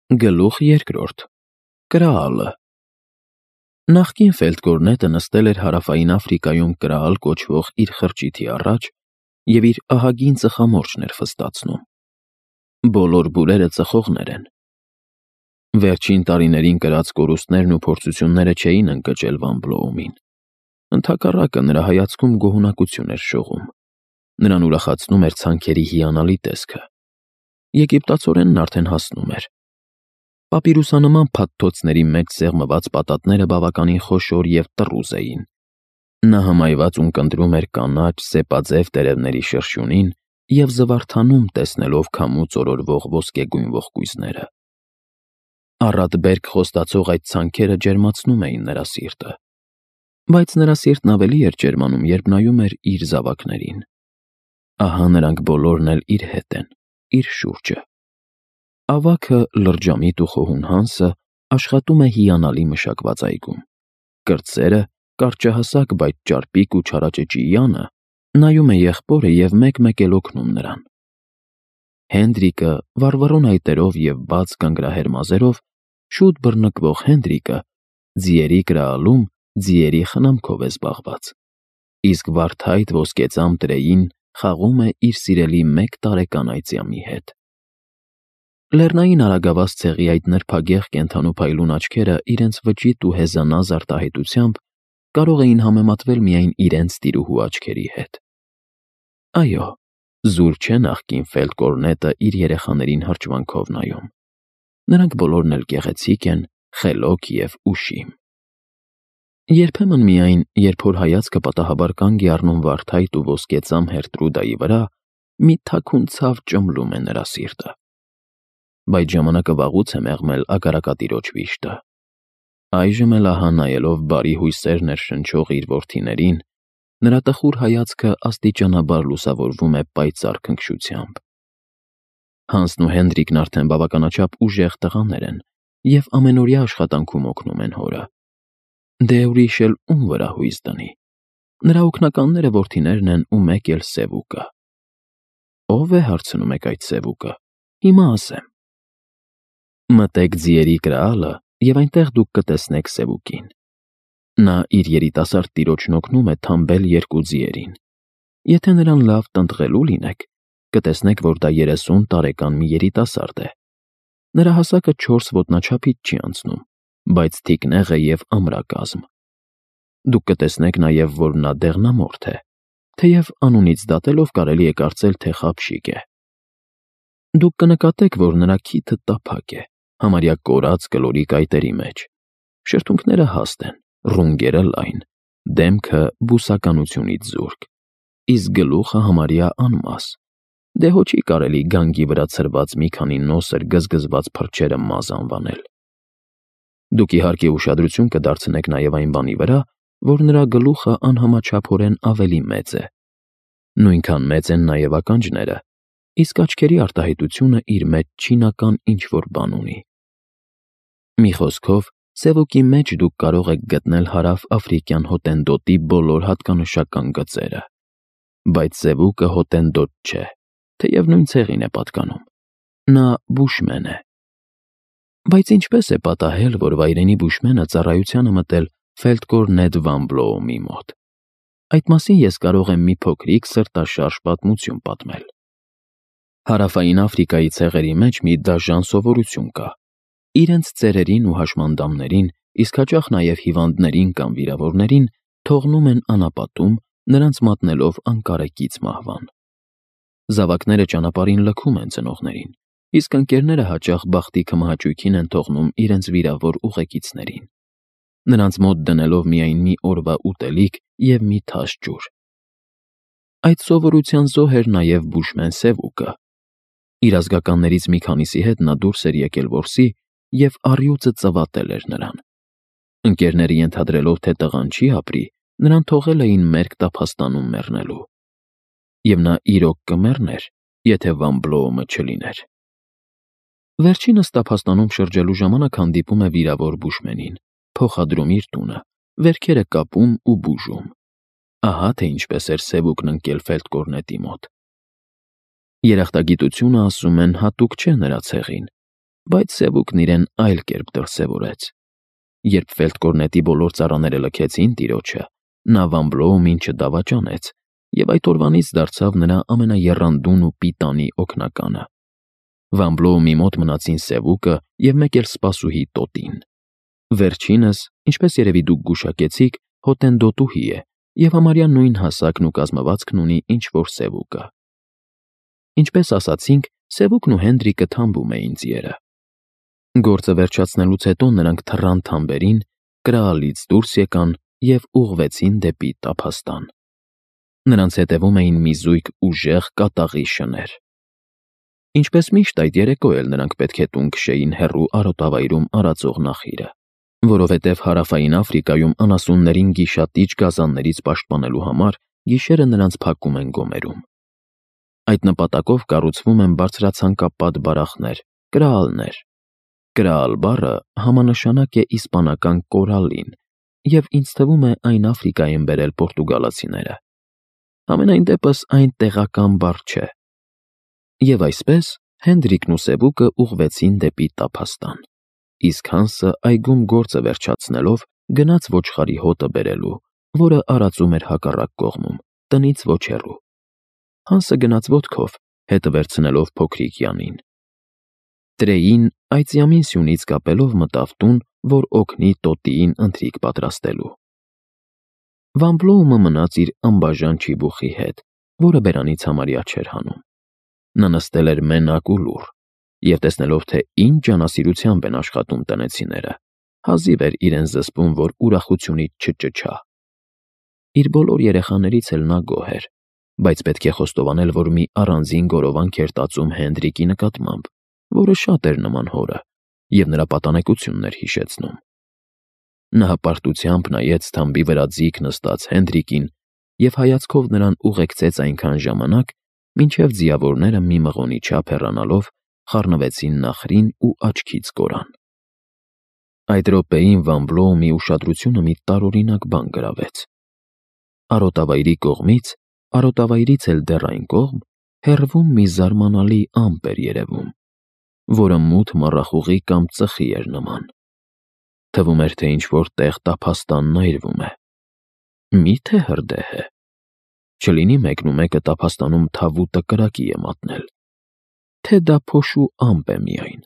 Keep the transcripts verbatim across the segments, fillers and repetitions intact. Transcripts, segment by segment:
Գլուխ երկրորդ Կրաալը Նախկին ֆելդկորնետը նստել էր Հարավային Աֆրիկայում կրաալ կոչվող իր խրճիթի առաջ և իր ահագին ծխամորճն էր ֆստացնում։ Բոլոր բուրերը ծխողներ են։ Վերջին տարիներին կրած կորուստներն ու փորձությունները չէին ընկճել Վան Բլոումին։ Ընդհակառակը, նրա հայացքում գոհունակություն էր շողում։ Նրան ուրախացնում էր ցանքերի հիանալի տեսքը։ Եգիպտացորենն արդեն հասնում էր։ Պապիրուսանման փաթթոցների մեջ սեղմված պատատները բավականին խոշոր և տռուզ էին։ Նա հմայված ունկնդրում էր կանաչ, սեպաձև տերևների շրշյունին և զվարթանում, տեսնելով քամուց օրորվող ոսկեգույն ողկույզները։ Առատ-բերք խոստացող այդ ցանքերը ջերմացնում էին նրա սիրտը։ Բայց նրա սիրտն ավելի էր ջերմանում, երբ նայում էր իր զավակներին։ Ահա նրանք բոլորն էլ իր հետ են, իր շուրջը։ Ավագը, լրջամիտ ու խոհուն Հանսը, աշխատում է հիանալի մշակված այգում։ Կրտսերը, կարճահասակ, բայց ճարպիկ ու չարաճճի Յանը, նայում է եղբորը և մեկ-մեկ էլ օգնում նրան։ Հենդրիկը, վառվռուն այտերով և բաց գանգրահեր մազերով, շուտ բռնկվող Հենդրիկը, ձիերի կրաալում ձիերի խնամքով է զբաղված, իսկ վարդայտ ոսկեծամ Տրեյին խաղում է իր սիրելի մեկ տարեկան այծյամի հետ։ Լեռնային արագավազ ցեղի այդ նրբագեղ կենդանու փայլուն աչքերը իրենց վճիտ ու հեզանազ արտահայտությամբ կարող էին համեմատվել միայն իրենց տիրուհու աչքերի հետ։ Այո, զուր չէ նախկին ֆելդկորնետը իր երեխաներին հրճվանքով նայում։ Նրանք բոլորն էլ գեղեցիկ են, խելոք և ուշիմ։ Երբեմն միայն, երբ որ հայացքը պատահաբար կանգ է առնում վարդայտ ու ոսկեծամ Հերտրուդայի վրա, մի թաքուն ցավ ճմլում է նրա սիրտը։ Բայց ժամանակը վաղուց է մեղմել Ագարակատիրոջ վիշտը։ Այժմ էլ ահա նայելով բարի հույսեր ներշնչող իր որդիներին, նրա տխուր հայացքը աստիճանաբար լուսավորվում է պայծառ քնքշությամբ։ Հանսն ու Հենդրիկն արդեն բավականաչափ ուժեղ տղաներ են և ամենօրյա աշխատանքում օգնում են հորը։ Դե ուրիշ էլ ում վրա հույս դնի։ Նրա օգնականները որդիներն են ու մեկ էլ Սևուկը։ Ո՞վ է, հարցնում եք, այդ Սևուկը։ Հիմա ասեմ։ Մտեք ձիերի կրաալը, և այնտեղ դուք կտեսնեք Սևուկին։ Նա իր երիտասարդ տիրոջն օգնում է թամբել երկու ձիերին։ Եթե նրան լավ տնտղելու լինեք, կտեսնեք, որ դա երեսուն տարեկան մի երիտասարդ է։ Նրա հասակը չորս ոտնաչափից չի անցնում, բայց թիկնեղ է և ամրակազմ։ Դուք կտեսնեք նաև, որ նա դեղնամորթ է, թեև անունից դատելով կարելի է կարծել, թե խաբշիկ է։ Դուք կնկատեք, որ նրա քիթը տափակ է, համարյա կորած կլորիկ այտերի մեջ։ Շրթունքները հաստ են, ռունգերը լայն, դեմքը բուսականությունից զուրկ, իսկ գլուխը համարյա անմաս։ Դե հո չի կարելի գանգի վրա ցրված մի քանի նոսր գզգզված փրչերը մազ անվանել։ Դուք իհարկե ուշադրություն կդարձնեք նաև այն բանի վրա, որ նրա գլուխը անհամաչափորեն ավելի մեծ է։ Նույնքան մեծ են նաև ականջները, իսկ աչքերի արտահայտությունը իր մեջ չինական ինչ-որ բան ունի։ Մի խոսքով, Սևուկի մեջ դուք կարող եք գտնել հարավ-աֆրիկյան հոտենտոտի բոլոր հատկանշական գծերը։ Բայց Սևուկը հոտենտոտ չէ, թեև նույն ցեղին է պատկանում։ Նա բուշմեն է։ Բայց ինչպես է պատահել, որ վայրենի բուշմենը ծառայության է մտել Ֆելդկորնետ Վան Բլոումի մոտ։ Այդ մասին ես կարող եմ մի փոքրիկ սրտաշարժ պատմություն պատմել։ Հարավային Աֆրիկայի ցեղերի մեջ մի դաժան սովորություն կա։ Իրենց ծերերին ու հաշմանդամներին, իսկ հաճախ նաև հիվանդներին կամ վիրավորներին թողնում են անապատում, նրանց մատնելով անկարեկից մահվան։ Զավակները ճանապարհին լքում են ծնողներին, իսկ ընկերները հաճախ բախտի քմահաճույքին են թողնում իրենց վիրավոր ուղեկիցներին, նրանց մոտ դնելով միայն մի օրվա ուտելիք և մի թաշ ջուր։ Այդ սովորության զոհ էր նաև բուշմեն Սևուկը։ Իր ազգականներից մի քանիսի հետ նա դուրս էր եկել որսի և առյուծը ծվատել էր նրան։ Ընկերները ենթադրելով, թե տղան չի ապրի, նրան թողել էին մերկ տափաստանում մեռնելու։ Եվ նա իրոք կմեռներ, եթե Վան Բլոումը չլիներ։ Վերջինս տափաստանում շրջելու ժամանակ հանդիպում է վիրավոր բուշմենին, փոխադրում իր տունը, վերքերը կապում ու բուժում։ Ահա թե ինչպես էր Սևուկն ընկել Ֆելդկորնետի մոտ։ Երախտագիտությունը, ասում են, հատուկ չէ նրա ցեղին, բայց Սևուկն իրեն այլ կերպ դրսևորեց։ Երբ Ֆելդկորնետի բոլոր ծառաները լքեցին տիրոջը, նա Վան Բլոումին չդավաճանեց և այդ օրվանից դարձավ նրա ամենաեռանդուն ու պիտանի օգնականը։ Վան Բլոումի մոտ մնացին Սևուկը և մեկ էլ սպասուհի Տոտին։ Վերջինս, ինչպես երևի դուք գուշակեցիք, հոտենտոտուհի է և համարյա նույն հասակն ու կազմվածքն ունի, ինչ որ Սևուկը։ Ինչպես ասացինք, Սևուկն ու Հենդրիկը թամբում էին ձիերը։ Գործը վերջացնելուց հետո նրանք թռան թամբերին, կրալից դուրս եկան և ուղղվեցին դեպի տափաստան։ Նրանց հետևում էին մի զույգ ուժեղ կատաղի շներ։ Ինչպես միշտ այդ երեկո էլ նրանք պետք է տուն քշեին հեռու արոտավայրում արածող նախիրը, որովհետև Հարավային Աֆրիկայում անասուններին գիշատիչ գազաններից պաշտպանելու համար գիշերը նրանց փակում են գոմերում։ Այդ նպատակով կառուցվում են բարձրացանկապատ բարախներ, կրալներ։ Կրալ բառը համանշանակ է իսպանական կորալին, և ինձ թվում է այն Աֆրիկա են բերել պորտուգալացիները։ Համենայն դեպս այն տեղական բառ չէ։ Եվ այսպես Հենդրիկն ու Սևուկը ուղղվեցին դեպի տափաստան, իսկ Հանսը այգում գործը վերջացնելով գնաց ոչխարի հոտը բերելու, որը արածում էր հակառակ կողմում, տնից ոչ հեռու։ Հանսը գնաց ոտքով, հետը վերցնելով փոքրիկ Յանին։ Տրեին այծյամին սյունից կապելով մտավ տուն, որ օգնի Տոտիին ընթրիք պատրաստելու։ Վան Բլոումը մնաց իր անբաժան չիբուխի հետ, որը բերանից համարյա չէր հանում։ Նա նստել էր մենակ ու լուռ, և տեսնելով, թե ինչ ջանասիրությամբ են աշխատում տնեցիները, հազիվ էր իրեն զսպում, որ ուրախությունից չճչա։ Իր բոլոր երեխաներից էլ նա գոհ էր, բայց պետք է խոստովանել, որ մի առանձին գորովանք էր տածում Հենդրիկի նկատմամբ, որը շատ էր նման հորը և նրա պատանեկությունն էր հիշեցնում։ Նա հպարտությամբ նայեց թամբի վրա ձիգ նստած Հենդրիկին և հայացքով նրան ուղեկցեց այնքան ժամանակ, մինչև ձիավորները մի մղոնի չափ հեռանալով խառնվեցին նախրին ու աչքից կորան։ Այդ րոպեին Վան Բլոումի ուշադրությունը մի տարօրինակ բան գրավեց։ Արոտավայրի կողմից, արոտավայրից էլ դեռ այն կողմ, հեռվում մի զարմանալի ամպ էր երևում, որը մութ մառախուղի կամ ծխի էր նման։ Թվում էր, թե ինչ-որ տեղ տափաստանն այրվում է։ Մի՞թե հրդեհ է։ Չլինի մեկնումեկը տափաստանում թավուտը կրակի է մատնել։ Թե դա փոշու ամպ է միայն։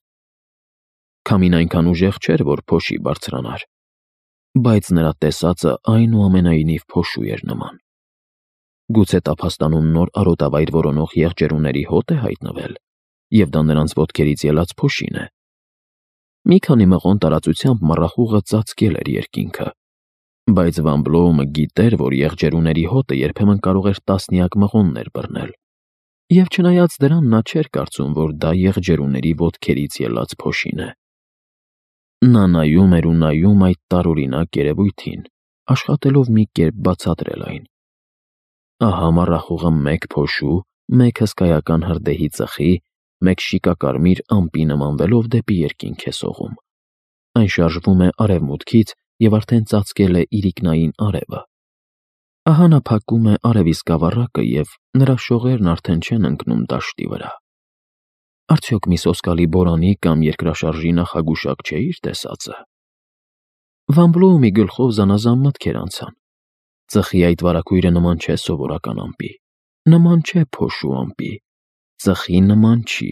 Քամին այնքան ուժեղ չէր, որ փոշի բարձրանար, բայց նրա տեսածը այնուամենայնիվ փոշու էր նման։ Գուցե տափաստանում նոր արոտավայր որոնող եղջերուների հոտ է հայտնվել, և դա նրանց ոտքերից ելած փոշին է։ Մի քանի մղոն տարածությամբ մառախուղը ծածկել էր երկինքը, բայց Վան Բլոումը գիտեր, որ եղջերուների հոտը երբեմն կարող էր տասնյակ մղոններ բռնել, և չնայած դրան նա չէր կարծում, որ դա եղջերուների ոտքերից ելած փոշին է։ Նա նայում էր ու նայում այդ տարօրինակ երևույթին, աշխատելով մի կերպ բացատրել այն։ Ահա մառախուղը մեկ փոշու, մեկ հսկայական հրդեհի ծխի, մեկ շիկակարմիր ամպի նմանվելով դեպի երկինք է սողում։ Այն շարժվում է արևմուտքից և արդեն ծածկել է իրիկնային արևը։ Ահա նա փակում է արևի սկավառակը և նրա շողերն արդեն չեն ընկնում դաշտի վրա։ Արդյոք մի սոսկալի բորանի կամ երկրաշարժի նախագուշակ չէ իր տեսածը։ Վան Բլոումի գլխով զանազան մտքեր անցան։ Ծխի այդ վարագույրը նման չէ սովորական ամպի, նման չէ փոշու ամպի, ծխի նման չի,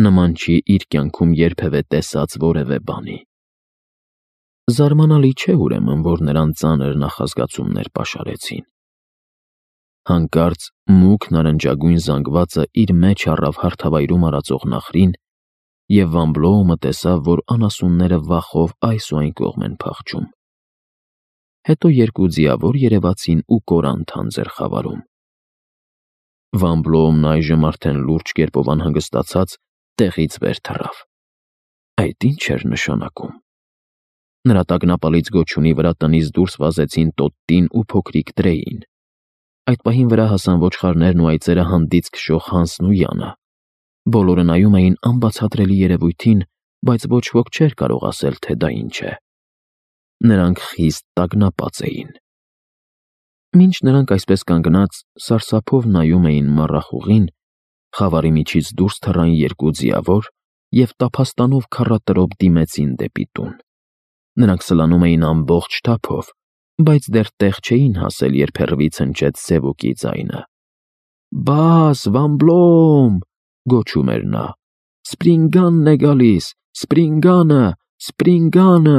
նման չի իր կյանքում երբևէ տեսած որևէ բանի։ Զարմանալի չէ ուրեմն, որ նրան ծանր նախազգացումներ պաշարեցին։ Հանկարծ մուգ նարնջագույն զանգվածը իր մեջ առավ հարթավայրում արածող նախրին, և Վան Բլոումը տեսավ, որ անասունները վախով այս ու այն կողմ են փախչում։ Հետո երկու ձիավոր երևացին ու կորան թանձր խավարում։ Վան Բլոումն այժմ արդեն լուրջ կերպով անհանգստացած տեղից վեր թռավ։ Այդ ի՞նչ էր նշանակում։ Նրա տագնապալից գոչյունի վրա տնից դուրս վազեցին Տոտին ու փոքրիկ Տրեին։ Այդ պահին վրա հասան ոչխարներն ու այծերը հանդից քշող Հանսն ու Յանը։ Բոլորը նայում էին անբացատրելի երևույթին, բայց ոչ ոք չէր կարող ասել, թե դա ինչ է։ Նրանք խիստ տագնապած էին։ Մինչ նրանք այսպես կանգնած սարսափով նայում էին մառախուղին, խավարի միջից դուրս թռան երկու ձիավոր և տափաստանով քառատրոպ դիմեցին դեպի տուն։ Նրանք սլանում էին ամբողջ թափով, բայց դեռ տեղ չէին հասել, երբ հեռվից հնչեց Սևուկի ձայնը։ «Բաս, Վամբլոմ», գոչում էր նա, «Սպրինգանն է գալիս, Սպրինգանը, Սպրինգանը»։